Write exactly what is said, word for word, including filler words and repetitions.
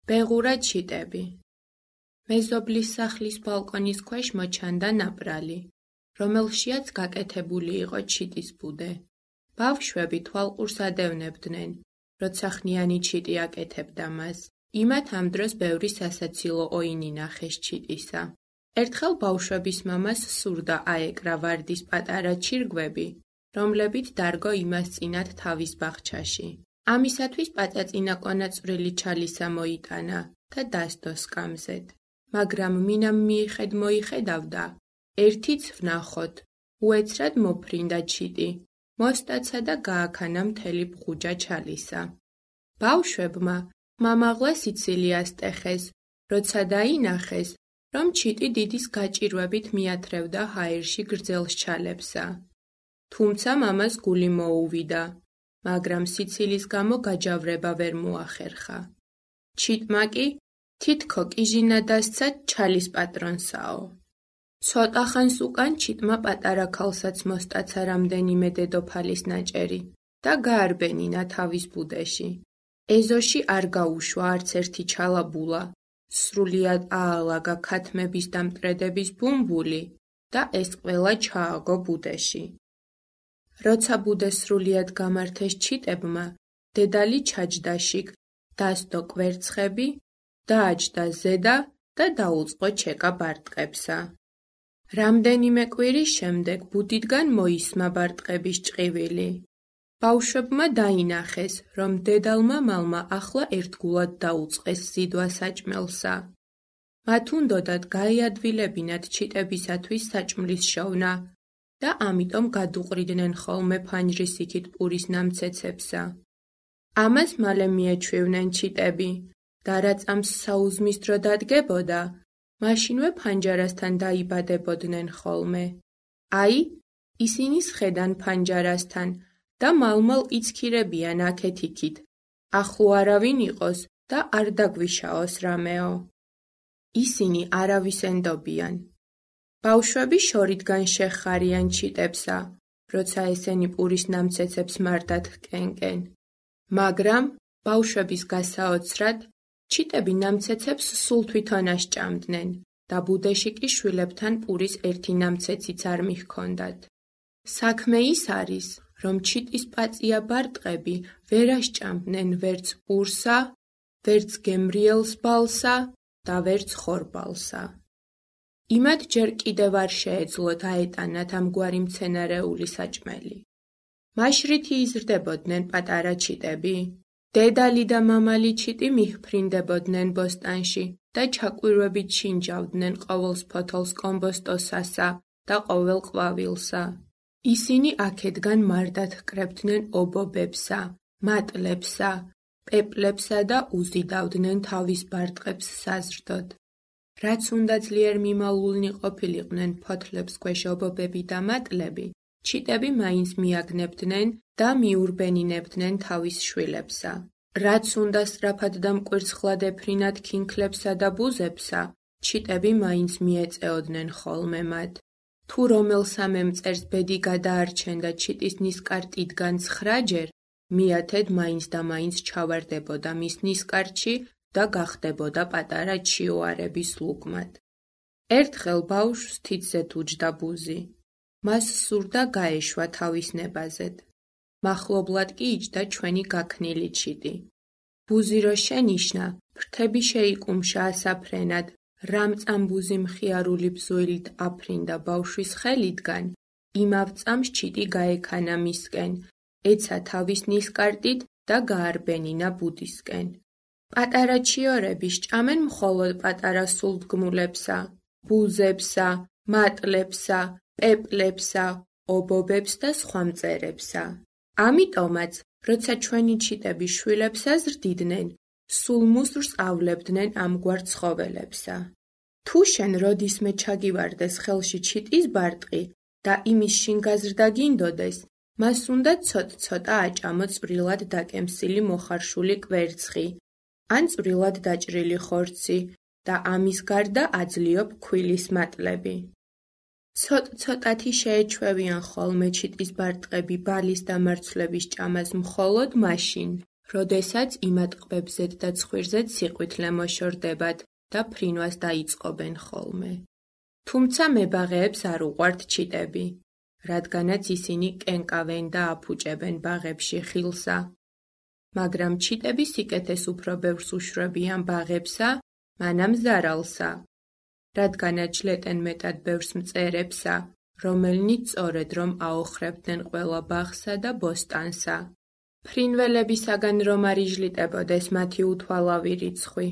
ბეღურა ჩიტები. მეზობლის სახლის ბალკონის ქვეშ მოჩანდა ნაპრალი, რომელშიაც გაკეთებული იყო ჩიტის ბუდე. ბავშვები თვალყურს ადევნებდნენ, როცა ხნიანი ჩიტი აკეთებდა მას. იმათ ამ დროს ბევრი სასაცილო ოინი ნახეს ჩიტისა. ერთხელ ბავშვების მამას სურდა აეკრა ვარდის პატარა ჩირგვები, რომლებით დარგო იმას წინათ თავის ბაღჩაში. ამისათვის პაწაწინა კონაწვრილი ჩალისა მოიტანა და დასდო სკამზედ. მაგრამ მინამ მიიხედ მოიხედავდა, ერთიც ვნახოთ, უეცრად მოფრინდა ჩიტი, მოსტაცა და გააქანა მთელი ბღუჯა ჩალისა. ბავშვებმა მამაღლა სიცილიას ტეხეს, როცა დაინახეს, რომ ჩიტი დიდის გაჭირვებით მიათრევდა ჰაერში გრძელს ჩალებსა. თუმცა მამას გული მოუვიდა, მაგრამ სიცილის გამო გაჯავრება ვერ მოახერხა. ჩიტმა კი თითქო კიჟინა დასცა ჩალის პატრონსაო. ცოტა ხანს უკან ჩიტმა პატარა ქალსაც მოსტაცა რამდენიმე დედოფალის ნაჭერი და გაარბენინა თავის ბუდეში. ეზოში არ გაუშვა არც ერთი ჩალაბულა, სრულიად აალაგა ქათმების და მტრედების ბუმბული და ეს ყველა ჩააგო ბუდეში. როცა ბუდე სრულიად გამართეს ჩიტებმა, დედალი ჩაჯდა შიგ, დასდო კვერცხები, დააჯდა ზედა და დაუწყო ჩეკა ბარტყებსა. რამდენიმე კვირის შემდეგ ბუდიდან მოისმა ბარტყების ჭყივილი. ბავშვებმა დაინახეს, რომ დედალმა მალმა ახლა ერთგულად დაუწყეს ზიდვა საჭმელსა. მათ უნდოდათ გაეადვილებინათ ჩიტებისათვის საჭმლის შოვნა და ამიტომ გადუყრიდნენ ხოლმე ფანჯრის იქით პურის ნამცეცებსა. ამას მალე მიეჩვივნენ ჩიტები და რაც ამ საუზმის დრო დადგებოდა, მაშინვე ფანჯარასთან დაიბადებოდნენ ხოლმე. აი, ისინი სხედან ფანჯარასთან და მალმალ იცქირებიან აქეთ-იქით, ახლო არავინ იყოს და არ დაგვიშაოს რამეო. ისინი არავის ენდობიან. ბავშვები შორიდან შეხარიან ჩიტებსა, როცა ესენი პურის ნამცეცებს მარტად ჰკენკენ. მაგრამ ბავშვების გასაოცრად, ჩიტები ნამცეცებს სულ თვითონ ასჭამდნენ და ბუდეში კი შვილებთან პურის ერთი ნამცეციც არ მიჰქონდათ. საქმე ის არის, რომ ჩიტის პაწია ბარტყები ვერ ასჭამდნენ ვერც პურსა, ვერც გემრიელს ბალსა და ვერც ხორბალსა. იმათ ჯერ კიდევ არ შეეძლოთ აეტანათ ამგვარი მცენარეული საჭმელი. მაშრითი იზრდებოდნენ პატარა ჩიტები. დედალი და მამალი ჩიტი მიჰფრინდებოდნენ ბოსტანში და ჩაკვირვებით შინჯავდნენ ყოველს ფოთოლს კომბოსტოსასა და ყოველ ყვავილსა. ისინი აქედგან მარტად ჰკრებდნენ ობობებსა, მატლებსა, პეპლებსა და უზიდავდნენ თავის ბარტყებს საზრდოდ. რაც უნდა ძლიერ მიმალულნი ყოფილიყვნენ ფოთლებს ქვეშ ობობები და მატლები, ჩიტები მაინც მიაგნებდნენ და მიურბენინებდნენ თავის შვილებსა. რაც უნდა სწრაფად და მკვირცხლად ეფრინათ ქინქლებსა და ბუზებსა, ჩიტები მაინც მიეწეოდნენ ხოლმე მათ. თუ რომელ სამემწერს ბედი გადაარჩენდა ჩიტის ნისკარტიდგან ცხრაჯერ, მიათედ მაინც და მაინც ჩავარდებოდა მის ნისკარტში და გახდებოდა პატარა ჩიოარების ლუკმად. ერთხელ ბავშვს თითზე თუჯდა ბუზი. მას სურდა გაეშვა თავის ნებაზედ. მახლობლად კი იჯდა ჩვენი გაქნილი ჩიტი. ბუზი რო შენიშნა, ფრთები შეიკუმშა ასაფრენად, რამწამ ბუზი მხიარული ბზუილით აფრინდა ბავშვის ხელიდან, იმავ წამს ჩიტი გაექანა მისკენ, ეცა თავის ნისკარტით და გაარბენინა ბუდისკენ. პატარა ჩიორები სჭამენ მხოლოდ პატარა სულდგმულებსა, ბუზებსა, მატლებსა, პეპლებსა, ობობებს და სხვა მწერებსა. ამიტომაც, როცა ჩვენი ჩიტები შვილებს აზრდიდნენ, სულ მუსრს ავლებდნენ ამგვარ ცხოველებსა. თუ შენ როდისმე ჩაგივარდეს ხელში ჩიტის ბარტყი და იმის შინ გაზრდა გინდოდეს, მას უნდა ცოტ-ცოტა აჭამო წვრილად დაკემსილი მოხარშული კვერცხი, ან წვრილად დაჭრილი ხორცი და ამის გარდა აძლიო ფქვილის მატლები. ცოტ-ცოტათი შეეჩვევიან ხოლმე ჩიტის ბარტყები ბალის დამარცვლების ჭამას მხოლოდ მაშინ, როდესაც იმატყბებზედ და ცხვირზედ სიყვითლე მოშორდებათ და ფრინვას დაიწყობენ ხოლმე. თუმცა მებაღეებს არ უყვართ ჩიტები, რადგანაც ისინი კენკავენ და აფუჭებენ ბაღებში ხილსა. მაგრამ ჩიტები სიკეთეს უფრო ბევრს უშვრებიან ბაღებსა, მანამ ზარალსა, რადგანაც ჟლეტენ მეტად ბევრს მწერებსა, რომელნიც სწორედ რომ აოხრებდნენ ყველა ბაღსა და ბოსტანსა. ფრინველებისაგან რომ არ იჟლიტებოდეს მათი უთვალავი რიცხვი,